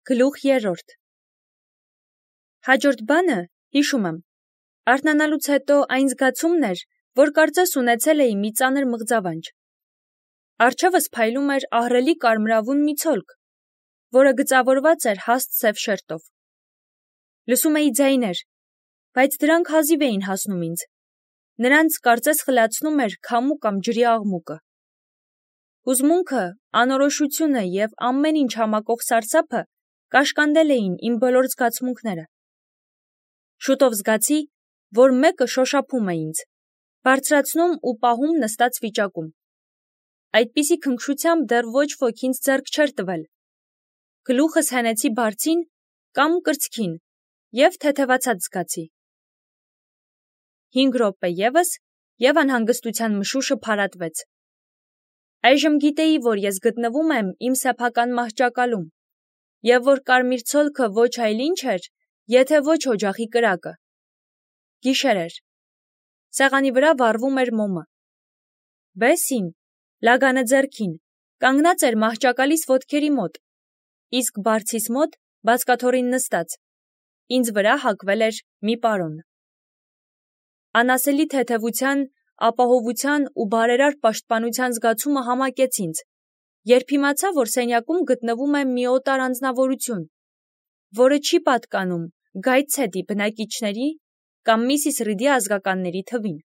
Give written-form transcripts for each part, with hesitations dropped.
Գլուխ 3 Հաջորդ բանը, հիշում եմ, արթնանալուց հետո այն զգացումն էր, որ կարծես ունեցել էի մի ծանր մղձավանջ։ Առջևս փայլում էր ահռելի կարմրավուն մի ցոլք, որը գծավորված էր հաստ սև շերտով։ Լսում էի ձայներ, բայց դրանք հազիվ էին հասնում ինձ։ Նրանց կարծես խլացնում էր քամու կամ ջրի աղմուկը։ Հուզմունքը, անորոշությունը և ամեն ինչ համակող սարսափը կաշկանդել էին իմ բոլոր զգացմունքները։ Շուտով զգացի, որ մեկը շոշափում է ինձ, բարձրացնում ու պահում նստած վիճակում։ Այդպիսի քնքշությամբ դեռ ոչ ոք ինձ ձեռք չէր տվել։ Գլուխս հենեցի բարձին կամ կրծքին և թեթևացած զգացի։ 5 րոպե ևս, և անհանգստության մշուշը փարատվեց։ Այժմ գիտեի, որ ես գտնվում եմ իմ սեփական մահճակալում, և որ կարմիր ցոլքը ոչ այլ ինչ էր, եթե ոչ օջախի կրակը։ Գիշեր էր։ Սեղանի վրա վառվում էր մոմը։ Բեսին, լագանը ձեռքին, կանգնած էր մահճակալիս ոտքերի մոտ, իսկ բարձիս մոտ, բազկաթոռին նստած, ինձ վրա հագվել էր մի պարոն։ Անասելի թեթևության, ապահովության ու բարերար պաշտպանության զգացումը համակեց ինձ, երբ իմացա, որ սենյակում գտնվում է մի օտար անձնավորություն, որը չի պատկանում Գայթսեդի բնակիչների կամ Միսիս Ռիդի ազգականների թվին։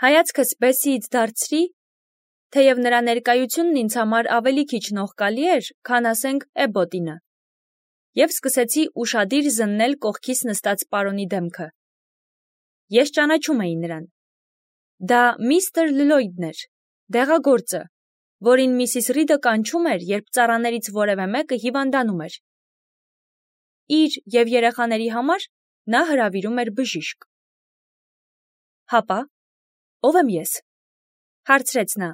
Հայացքս Բեսիից դարձրի, թեև նրա ներկայությունն ինձ համար ավելի քիչ նողկալի էր, քան ասենք Էբոտինը, և սկսեցի ուշադիր զննել կողքիս նստած պարոնի դեմքը։ Ես ճանաչում էի նրան։ Դա միստր Լլոյդն էր, դեղագործը, որին Միսիս Ռիդը կանչում էր, երբ ծառաներից որևէ մեկը հիվանդանում էր։ Իր և երեխաների համար նա հրավիրում էր բժիշկ։ Հապա, ով եմ ես, հարցրեց նա։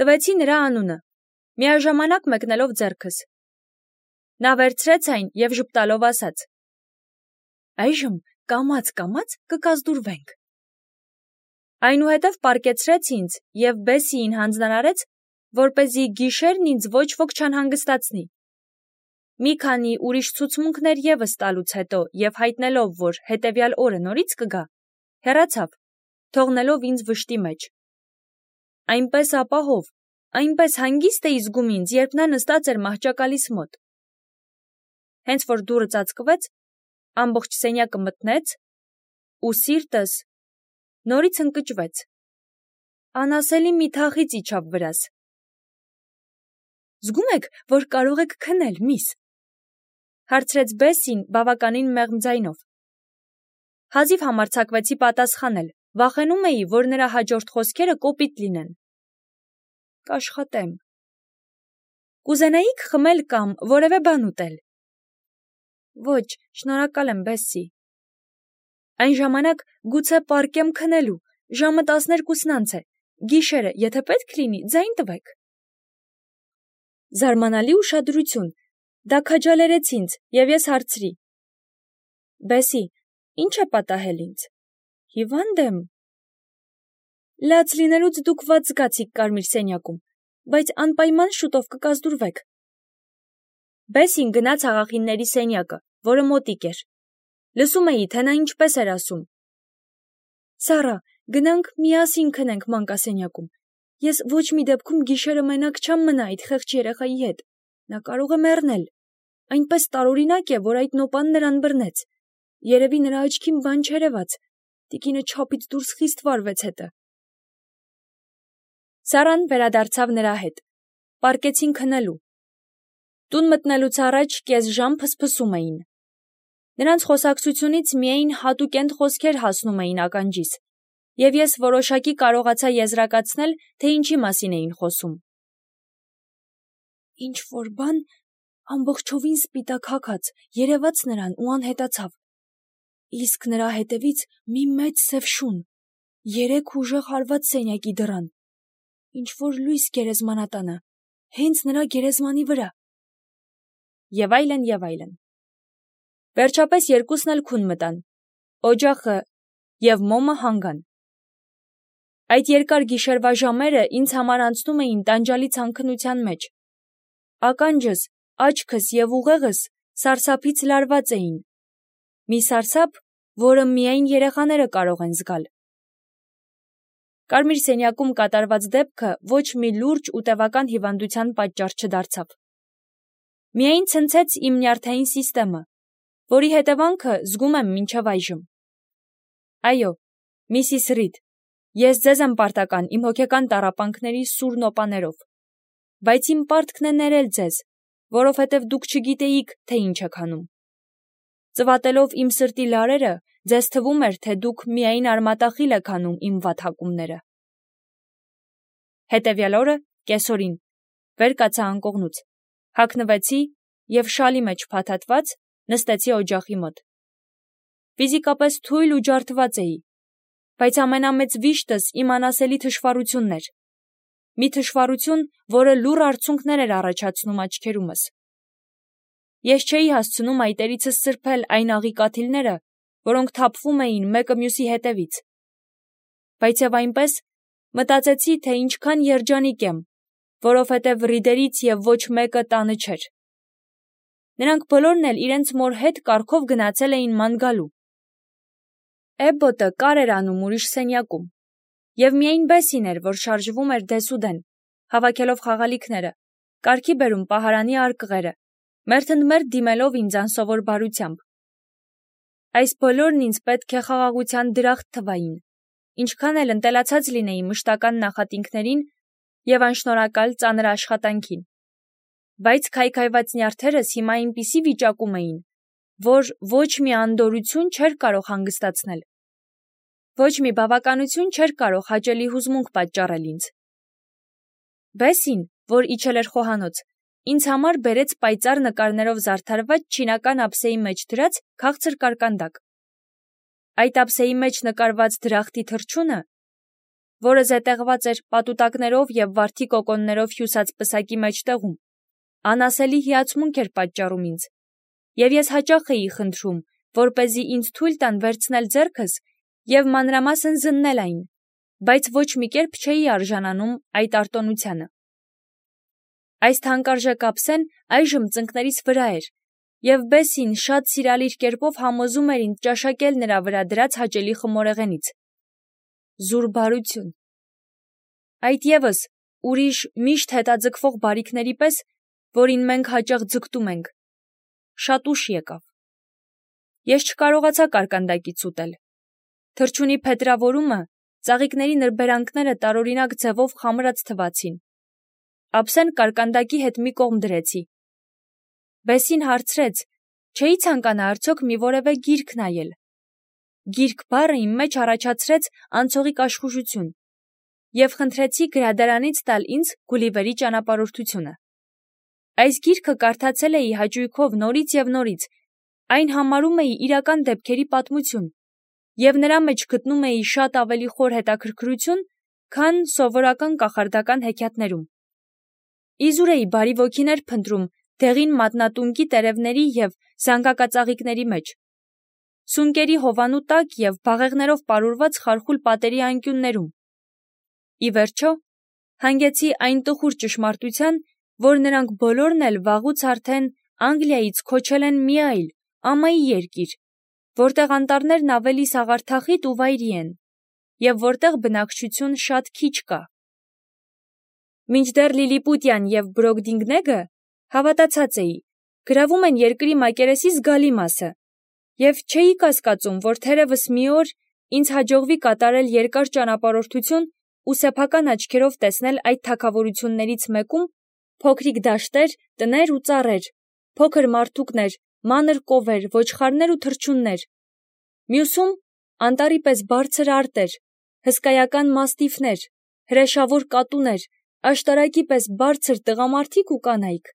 Տվեցի նրա անունը, միաժամանակ մեկնելով ձեռքս։ Նա վերցրեց այն և ժպտալով ասաց. Այժմ կամաց կկազդուրվենք։ Այնուհետև պառկեցրեց ինձ և Բեսիին հանձնարարեց, որպեսզի գիշերն ինձ ոչ ոք չանհանգստացնի։ Մի քանի ուրիշ ցուցմունքներ ևս տալուց հետո և հայտնելով, որ հետևյալ օրը նորից կգա, հեռացավ, թողնելով ինձ վշտի մեջ։ Այնպես ապահով, այնպես հանգիստ էի զգում ինձ, երբ նա նստած էր մահճակալիս մոտ։ Հենց որ դուռը ծածկվեց, ամբողջ սենյակը մթնեց, ու սիրտս նորից ընկճվեց։ Անասելի մի թախիծ իջավ վրաս։ Զգում եք, որ կարող եք քնել, միս, հարցրեց Բեսին բավականին մեղմ ձայնով։ Հազիվ համարձակվեցի պատասխանել, վախենում էի, որ նրա հաջորդ խոսքերը կոպիտ լինեն։ Կաշխատեմ։ Կուզենայիք խմել կամ որևէ բան ուտել։ Ոչ, շնորհակալ եմ, Բեսի։ Այն ժամանակ գուցե պառկեմ քնելու, ժամը 12-ն է, գիշերը, եթե պետք լինի, ձայն տվեք։ Զարմանալի ուշադրություն, դա քաջալերեց ինձ, և ես հարցրի. Բեսի, ինչ է պատահել ինձ։ Հիվանդ եմ։ Լաց լինելուց դուք վատ զգացիք կարմիր սենյակում, բայց անպայման շուտով կկազդուրվեք։ Բեսին գնաց աղախինների սենյակը, որը մոտիկ էր։ Լսում էի, թե նա ինչպես էր ասում. Սառա, գնանք միասին քնենք մանկասենյակում։ Ես ոչ մի դեպքում գիշերը մենակ չեմ մնա այդ խեղճ երեխայի հետ։ Նա կարող է մեռնել։ Այնպես տարօրինակ է, որ այդ նոպան նրան բռնեց։ Երևի նրա աչքին բան չերևաց։ Տիկինը չափից դուրս խիստ վարվեց հետը։ Սառան վերադարձավ նրա հետ։ Պառկեցին քնելու։ Տուն մտնելուց առաջ կես ժամ փսփսում էին։ Նրանց խոսակցությունից միայն հատուկենտ խոսքեր հասնում էին ականջիս, և ես որոշակի կարողացա եզրակացնել, թե ինչի մասին էին խոսում։ Ինչ-որ բան ամբողջովին սպիտակ հագած երևաց նրան ու անհետացավ։ Իսկ նրա հետևից մի մեծ սև շուն, 3 ուժեղ հարված սենյակի դռան, ինչ-որ լույս գերեզմանատանը, հենց նրա գերեզմանի վրա։ Եվ այլն, և այլն։ Վերջապես երկուսն էլ քուն մտան, օջախը և մոմը հանգան։ Այդ երկար գիշերվա ժամերը ինձ համար անցնում էին տանջալի ցանքնության մեջ։ Ականջս աչքս և ուղեղս սարսափից լարված էին։ Մի սարսափ, որը միայն երեխաները կարող են զգալ։ Կարմիր սենյակում կատարված դեպքը ոչ մի լուրջ ու տևական հիվանդության պատճառ չդարձավ։ Միայն ցնցեց իմ նյարդային սիստեմը, որի հետևանքը զգում եմ մինչև այժմ։ Այո, Միսիս Ռիդ, ես ձեզ եմ պարտական իմ հոգեկան տառապանքների սուր նոպաներով, բայց իմ պարտքն է ներել ձեզ, որովհետև դուք չգիտեիք, թե ինչ եք անում։ Ծվատելով իմ սրտի լարերը, ձեզ թվում էր, թե դուք միայն արմատախիլ եք անում իմ վատհակումները։ Հետևյալ օրը, կեսօրին, վեր կացա անկողնուց, հագնվեցի և շալի մեջ փաթաթված նստեցի օջախի մոտ։ Ֆիզիկապես թույլ ու ջարդված էի, բայց ամենամեծ վիշտս իմ անասելի թշվառությունն էր։ Մի թշվառություն, որը լուռ արցունքներ էր առաջացնում աչքերումս։ Ես չէի հասցնում այտերիցս սրբել այն աղի կաթիլները, որոնք թափվում էին մեկը մյուսի հետևից։ Բայց և այնպես մտածեցի, թե ինչքան երջանիկ եմ, որովհետև Ռիդերից և ոչ մեկը տանը չէր։ Նրանք բոլորն էլ իրենց մոր հետ կառքով գնացել էին ման գալու։ Էբբոտը կար էր անում ուրիշ սենյակում, և միայն Բեսին էր, որ շարժվում էր դեսուդեն, հավաքելով խաղալիքները, կարգի բերում պահարանի արկղերը, մերթընդմերթ դիմելով ինձ անսովոր բարությամբ։ Այս բոլորն ինձ պետք է խաղաղության դրախտ թվային, ինչքան էլ ընտելացած լինեի մշտական նախատինքներին և անշնորհակալ ծանր աշխատանքին։ Բայց քայքայված նյարդերս հիմա այնպիսի վիճակում էին, որ ոչ մի անդորրություն չէր կարող հանգստացնել։ Ոչ մի բավականություն չէր կարող հաճելի հուզմունք պատճառել ինձ։ Բեսին, որ իջել էր խոհանոց, ինձ համար բերեց պայծառ նկարներով զարդարված չինական ափսեի մեջ դրած քաղցր կարկանդակ։ Այդ ափսեի մեջ նկարված դրախտի թռչունը, որը զետեղված էր պատուտակներով և վարդի կոկոններով հյուսած պսակի մեջտեղում, անասելի հիացմունք էր պատճառում ինձ, և ես հաճախ էի խնդրում, որպեսզի ինձ թույլ տան վերցնել ձեռքս և մանրամասն զննել այն, բայց ոչ մի կերպ չէի արժանանում այդ արտոնությանը։ Այս թանկարժեք ափսեն այժմ ծնկներիս վրա էր, և Բեսին շատ սիրալիր կերպով համոզում էր ինձ ճաշակել նրա վրա դրած հաճելի խմորեղենից։ Զուր բարություն։ Այդ ևս ուրիշ միշտ հետաձգվող բարիքների պես, որին մենք հաճախ ձգտում ենք։ Շատ ուշ եկավ։ Ես չկարողացա կարկանդակից ուտել։ Թռչունի փետրավորումը, ծաղիկների նրբերանգները տարօրինակ ձևով խամրած թվացին։ Ափսեն կարկանդակի հետ մի կողմ դրեցի։ Բեսին հարցրեց, չէի ցանկանա արդյոք մի որևէ գիրք նայել։ Գիրք բառը իմ մեջ առաջացրեց անցողիկ աշխուժություն, և խնդրեցի գրադարանից տալ ինձ Գուլիվերի ճանապարհորդությունը։ Այս գիրքը կարդացել էի հաճույքով նորից և նորից, այն համարում էի իրական դեպքերի պատմություն, և նրա մեջ գտնում էի շատ ավելի խոր հետաքրքրություն, քան սովորական կախարդական հեքիաթներում։ Իզուր էի բարի ոգիներ փնտրում դեղին մատնատունկի տերևների և զանգակածաղիկների մեջ, սունկերի հովանու տակ և բաղեղներով պարուրված խարխուլ պատերի անկյուններում։ Ի վերջո, հանգեցի այն տխուր ճշմարտության, որ նրանք բոլորն էլ վաղուց արդեն Անգլիայից քոչել են մի այլ, ամայի երկիր, որտեղ անտառներն ավելի սաղարթախիտ ու վայրի են, և որտեղ բնակչություն շատ քիչ կա։ Մինչդեռ Լիլիպուտյան և Բրոգդինգնեգը, հավատացած էի, գրավում են երկրի մակերեսի զգալի մասը, և չէի կասկածում, որ թերևս մի օր ինձ հաջողվի կատարել երկար ճանապարհորդություն ու սեփական աչքերով տեսնել այդ թագավորություններից մեկում փոքրիկ դաշտեր, տներ ու ծառեր, փոքր մարդուկներ, մանր կովեր, ոչխարներ ու թռչուններ, մյուսում անտառի պես բարձր արտեր, հսկայական մաստիֆներ, հրեշավոր կատուներ, աշտարակի պես բարձր տղամարդիկ ու կանայք։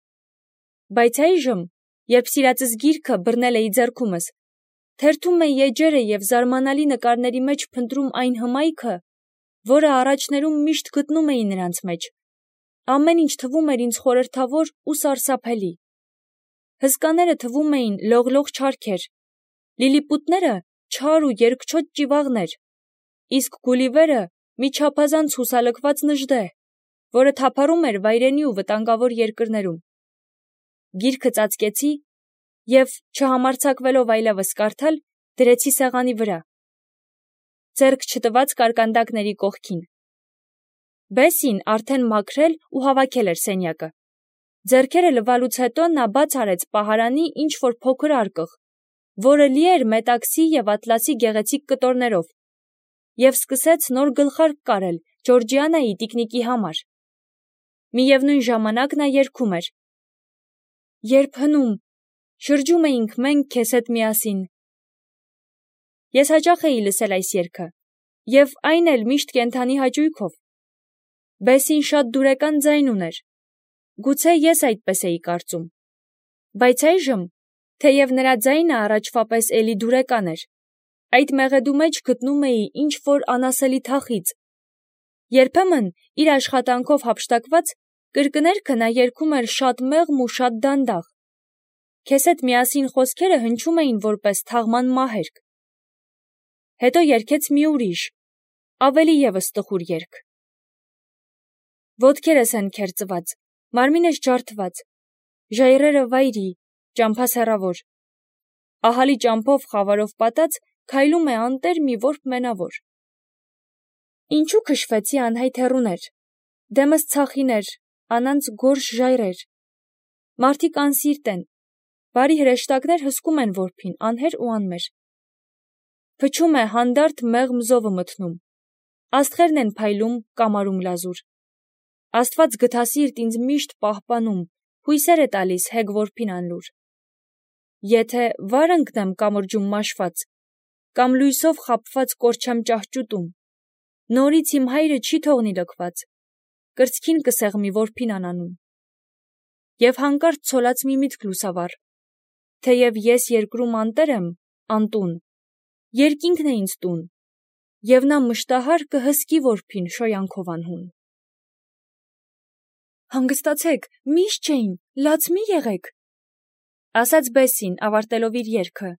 Բայց այժմ, երբ սիրածս գիրքը բռնել էի ձեռքումս, թերթում էի էջերը և զարմանալի նկարների մեջ փնտրում այն հմայքը, որը առաջներում միշտ գտնում էի նրանց մեջ, ամեն ինչ թվում էր ինձ խորհրդավոր ու սարսափելի։ Հսկաները թվում էին լողլող չարքեր, լիլիպուտները չար ու երկչոտ ճիվաղներ, իսկ Գուլիվերը մի չափազանց հուսալքված նժդե, որը թափառում էր վայրենի ու վտանգավոր երկրներում։ գիրքը ծածկեցի և, չհամարձակվելով այլևս կարդալ, դրեցի սեղանի վրա, ձեռք չտված կարկանդակների կողքին։ Բեսին արդեն մաքրել ու հավաքել էր սենյակը։ Ձեռքերը լվալուց հետո նա բաց արեց պահարանի ինչ-որ փոքր արկղ, որը լի էր մետաքսի և ատլասի գեղեցիկ կտորներով, և սկսեց նոր գլխարկ կարել Ջորջիանայի տիկնիկի համար։ Միևնույն ժամանակ նա երգում էր. «Երբ հնում, շրջում էինք մենք քեզ հետ միասին»։ Ես հաճախ էի լսել այս երգը, և այն էլ միշտ կենդանի հաճույքով։ Բեսին շատ դուրեկան ձայն ուներ, գուցե ես այդպես էի կարծում, բայց այժմ, թեև նրա ձայնը առաջվա պես էլի դուրեկան էր, այդ մեղեդու մեջ գտնում էի ինչ-որ անասելի թախիծ։ Երբեմն, իր աշխատանքով հափշտակված, կրկներքը նա երգում էր շատ մեղմ ու շատ դանդաղ։ Քեզ հետ միասին խոսքերը հնչում էին որպես թաղման մահերգ։ Հետո երգեց մի ուրիշ, ավելի ևս տխուր երգ. Ոտքերս են քերծված, մարմինս ջարդված, ժայռերը վայրի, ճամփաս հեռավոր, ահալի ճամփով խավարով պատած քայլում է անտեր մի որբ մենավոր։ Ինչու քշվեցի անհայտ հեռուներ, դեմս ցախիներ, անանց գորշ ժայռեր, մարդիկ անսիրտ են, բարի հրեշտակներ հսկում են որբին, անհեր ու անմեր։ Փչում է հանդարտ մեղմ զովը մթնում, աստղերն են փայլում կամարում լազուր։ Աստված գթասիրտ ինձ միշտ պահպանում, հույսեր է տալիս հեգ որբին անլուր։ Եթե վար ընկնեմ կամրջում մաշված, կամ լույսով խաբված կորչեմ ճահճուտում, նորից իմ հայրը չի թողնի լքված, կրծքին կսեղմի որբին անանում։ Եվ հանկարծ ցոլած մի միտք լուսավառ, թեև ես երկրում անտեր եմ, անտուն, երկինքն է ինձ տուն, և նա մշտահար կհսկի որբին շոյանքով անհուն։ Հանգստացեք, միշտ չէին, լաց մի եղեք, ասաց Բեսին, ավարտելով իր երգը,